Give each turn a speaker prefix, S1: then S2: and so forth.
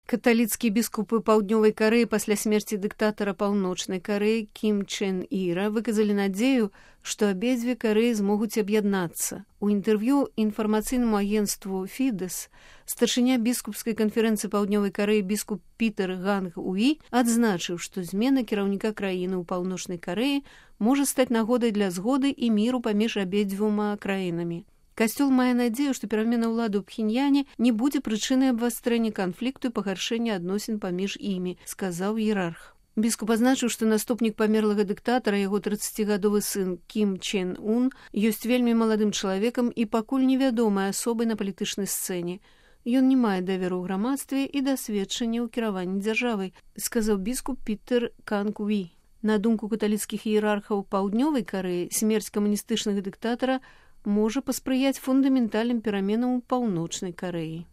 S1: Каталіцкія біскупы паўднёвай Карэі пасля смерці дыктатара паўночнай Карэі Кім Чен Іра выказалі надзею, што абедзве Карэі змогуць аб'яднацца. У інтэрв'ю інфармацыйнаму агенцтву Фідэс старшыня біскупскай канферэнцыі паўднёвай Карэі біскуп Пітер Ганг Уі адзначыў, што змена кіраўніка краіны ў паўночнай Карэі можа стаць нагодай для згоды і міру паміж абедзвюма краінамі. Касцёл мае надзею, што перамена ўлады ў Пхеньяне не будзе прычынай абвастрэння канфлікту і пагаршэння адносін паміж імі, сказаў іерарх. Біскуп азначыў, што наступнік памерлага дыктатара, яго 30гадовы сын Кім Чен Ун, ёсць вельмі маладым чалавекам і пакуль невядомай асобай на палітычнай сцэне. Ён не мае даверу ў грамадстве і дасведчання ў кіраванні дзяржавай, сказаў біскуп Пітер Ганг Уі. На думку каталіцкіх іерархаў паўднёвай Карэі, смерць камуністычнага дыктатара можа паспрыяць фундаментальным пераменам у паўночнай Карэі.